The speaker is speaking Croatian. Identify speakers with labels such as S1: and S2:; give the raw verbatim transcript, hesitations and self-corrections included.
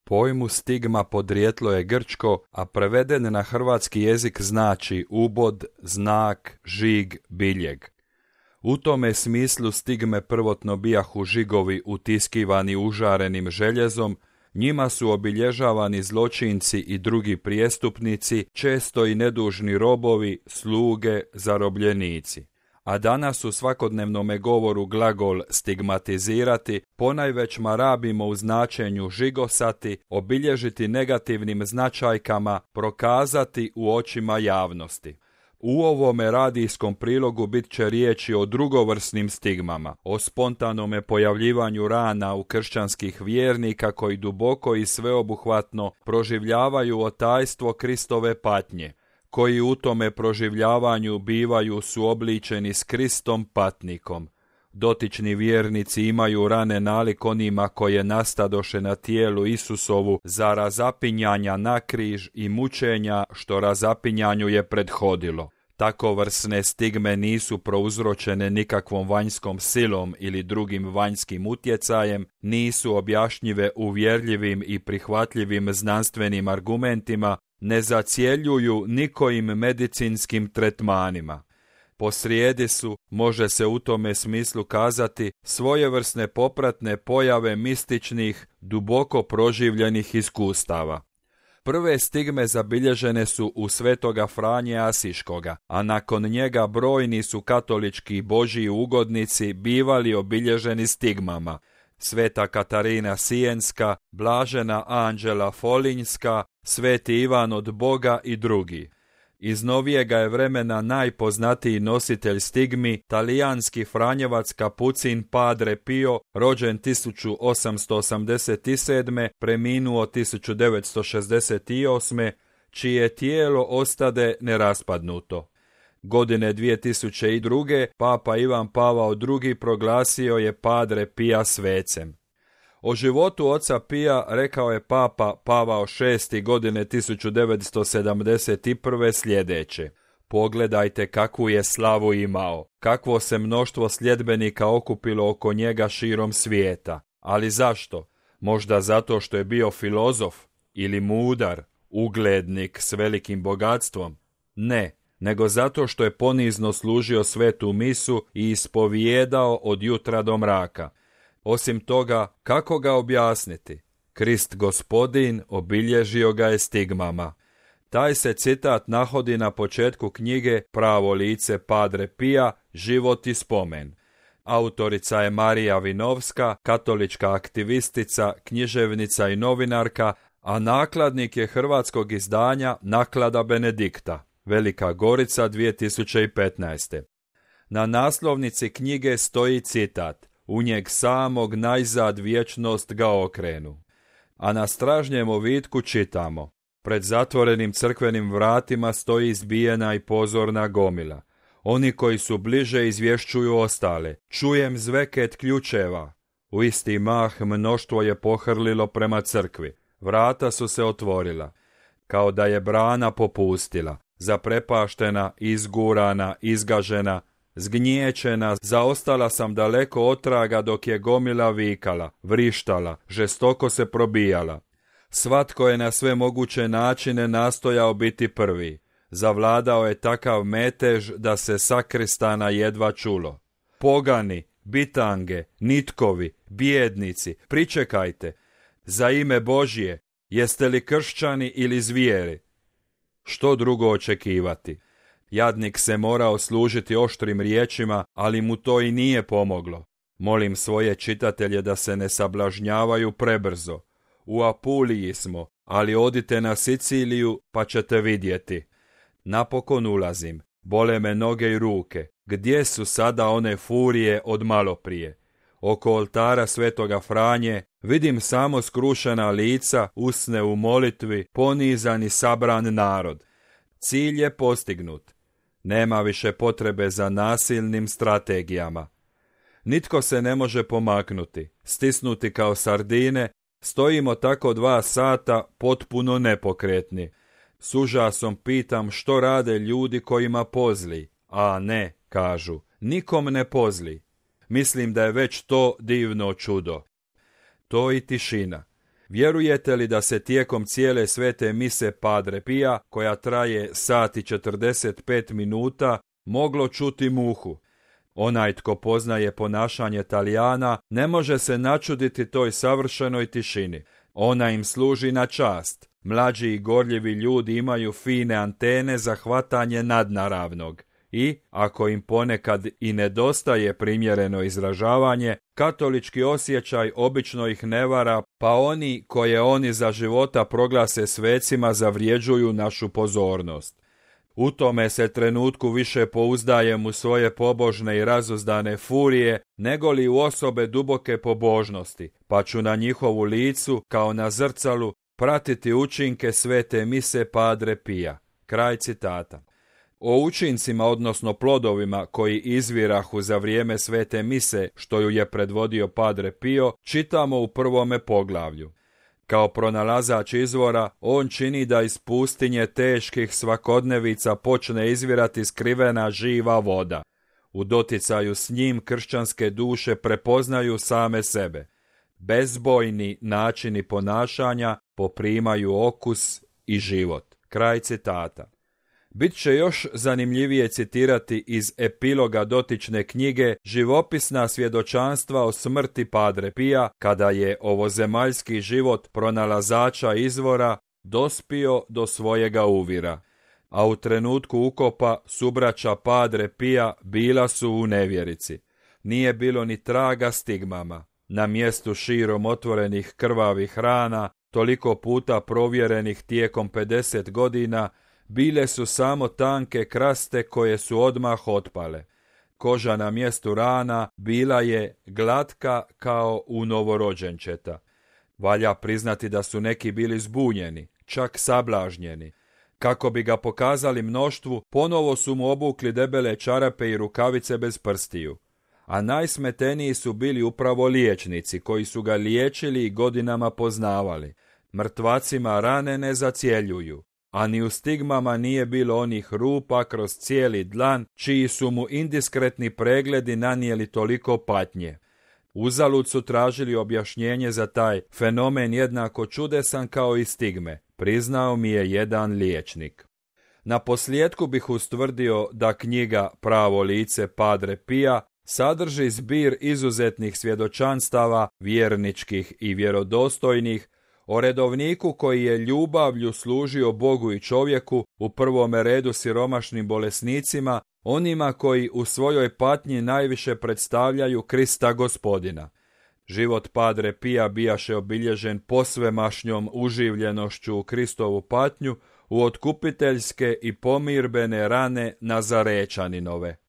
S1: Pojmu stigma podrijetlo je grčko, a preveden na hrvatski jezik znači ubod, znak, žig, biljeg. U tome smislu stigme prvotno bijahu žigovi utiskivani užarenim željezom, njima su obilježavani zločinci i drugi prijestupnici, često i nedužni robovi, sluge, zarobljenici. A danas u svakodnevnome govoru glagol stigmatizirati ponajvećma rabimo u značenju žigosati, obilježiti negativnim značajkama, prokazati u očima javnosti. U ovome radijskom prilogu bit će riječi o drugovrsnim stigmama, o spontanome pojavljivanju rana u kršćanskih vjernika koji duboko i sveobuhvatno proživljavaju otajstvo Kristove patnje, koji u tome proživljavanju bivaju suobličeni s Kristom patnikom. Dotični vjernici imaju rane nalik onima koje nastadoše na tijelu Isusovu za razapinjanja na križ i mučenja što razapinjanju je prethodilo. Takovrsne stigme nisu prouzročene nikakvom vanjskom silom ili drugim vanjskim utjecajem, nisu objašnjive uvjerljivim i prihvatljivim znanstvenim argumentima, ne zacjeljuju nikojim medicinskim tretmanima. Posrijedi su, može se u tome smislu kazati, svojevrsne popratne pojave mističnih, duboko proživljenih iskustava. Prve stigme zabilježene su u svetoga Franje Asiškoga, a nakon njega brojni su katolički božji ugodnici bivali obilježeni stigmama. Sveta Katarina Sijenska, Blažena Anđela Folinjska, Sveti Ivan od Boga i drugi. Iz novijega je vremena najpoznatiji nositelj stigmi, talijanski franjevac kapucin Padre Pio, rođen tisuću osamsto osamdeset sedme, preminuo tisuću devetsto šezdeset osme, čije tijelo ostade neraspadnuto. Godine dvije tisuće druge. Papa Ivan Pavao drugi proglasio je Padre Pija svecem. O životu oca Pija rekao je Papa Pavao šesti godine tisuću devetsto sedamdeset prve sljedeće. Pogledajte kakvu je slavu imao, kakvo se mnoštvo sljedbenika okupilo oko njega širom svijeta. Ali zašto? Možda zato što je bio filozof ili mudar, uglednik s velikim bogatstvom? Ne, nego zato što je ponizno služio svetu misu i ispovijedao od jutra do mraka. Osim toga, kako ga objasniti? Krist Gospodin obilježio ga je stigmama. Taj se citat nahodi na početku knjige Pravo lice Padre Pija, život i spomen. Autorica je Marija Vinovska, katolička aktivistica, književnica i novinarka, a nakladnik je hrvatskog izdanja Naklada Benedikta, Velika Gorica dvije tisuće petnaeste. Na naslovnici knjige stoji citat: u njeg samog najzad vječnost ga okrenu. A na stražnjem ovitku čitamo: pred zatvorenim crkvenim vratima stoji izbijena i pozorna gomila. Oni koji su bliže izvješćuju ostale. Čujem zveket ključeva. U isti mah mnoštvo je pohrlilo prema crkvi. Vrata su se otvorila. Kao da je brana popustila. Zaprepaštena, izgurana, izgažena, zgnječena, zaostala sam daleko otraga dok je gomila vikala, vrištala, žestoko se probijala. Svatko je na sve moguće načine nastojao biti prvi. Zavladao je takav metež da se sakristana jedva čulo. Pogani, bitange, nitkovi, bijednici, pričekajte. Za ime Božje, jeste li kršćani ili zvijeri? Što drugo očekivati? Jadnik se morao služiti oštrim riječima, ali mu to i nije pomoglo. Molim svoje čitatelje da se ne sablažnjavaju prebrzo. U Apuliji smo, ali odite na Siciliju pa ćete vidjeti. Napokon ulazim, bole me noge i ruke. Gdje su sada one furije od maloprije? Oko oltara svetoga Franje vidim samo skrušena lica, usne u molitvi, ponizan i sabran narod. Cilj je postignut. Nema više potrebe za nasilnim strategijama. Nitko se ne može pomaknuti. Stisnuti kao sardine, stojimo tako dva sata potpuno nepokretni. S užasom pitam što rade ljudi kojima pozli. A ne, kažu, nikom ne pozli. Mislim da je već to divno čudo. To i tišina. Vjerujete li da se tijekom cijele svete mise Padre Pia, koja traje sat i četrdeset pet minuta, moglo čuti muhu? Onaj tko poznaje ponašanje Talijana ne može se načuditi toj savršenoj tišini. Ona im služi na čast. Mlađi i gorljivi ljudi imaju fine antene za hvatanje nadnaravnog. I, ako im ponekad i nedostaje primjereno izražavanje, katolički osjećaj obično ih ne vara, pa oni koje oni za života proglase svecima zavrjeđuju našu pozornost. U tome se trenutku više pouzdajem u svoje pobožne i razuzdane furije, nego li u osobe duboke pobožnosti, pa ću na njihovu licu, kao na zrcalu, pratiti učinke svete mise Padre Pia. Kraj citata. O učincima, odnosno plodovima koji izvirahu za vrijeme svete mise, što ju je predvodio Padre Pio, čitamo u prvome poglavlju. Kao pronalazač izvora, on čini da iz pustinje teških svakodnevica počne izvirati skrivena živa voda. U doticaju s njim kršćanske duše prepoznaju same sebe. Bezbojni načini ponašanja poprimaju okus i život. Kraj citata. Bit će još zanimljivije citirati iz epiloga dotične knjige živopisna svjedočanstva o smrti Padre Pia, kada je ovozemaljski život pronalazača izvora dospio do svojega uvira. A u trenutku ukopa subraća Padre Pia bila su u nevjerici. Nije bilo ni traga stigmama. Na mjestu širom otvorenih krvavih rana, toliko puta provjerenih tijekom pedeset godina, bile su samo tanke kraste koje su odmah otpale. Koža na mjestu rana bila je glatka kao u novorođenčeta. Valja priznati da su neki bili zbunjeni, čak sablažnjeni. Kako bi ga pokazali mnoštvu, ponovo su mu obukli debele čarape i rukavice bez prstiju. A najsmeteniji su bili upravo liječnici, koji su ga liječili i godinama poznavali. Mrtvacima rane ne zacjeljuju, a ni u stigmama nije bilo onih rupa kroz cijeli dlan, čiji su mu indiskretni pregledi nanijeli toliko patnje. Uzalud su tražili objašnjenje za taj fenomen jednako čudesan kao i stigme, priznao mi je jedan liječnik. Na posljedku bih ustvrdio da knjiga Pravo lice Padre Pia sadrži zbir izuzetnih svjedočanstava, vjerničkih i vjerodostojnih, o redovniku koji je ljubavlju služio Bogu i čovjeku, u prvome redu siromašnim bolesnicima, onima koji u svojoj patnji najviše predstavljaju Krista Gospodina. Život Padre Pia bijaše obilježen posvemašnjom uživljenošću u Kristovu patnju, u otkupiteljske i pomirbene rane Nazarečaninove.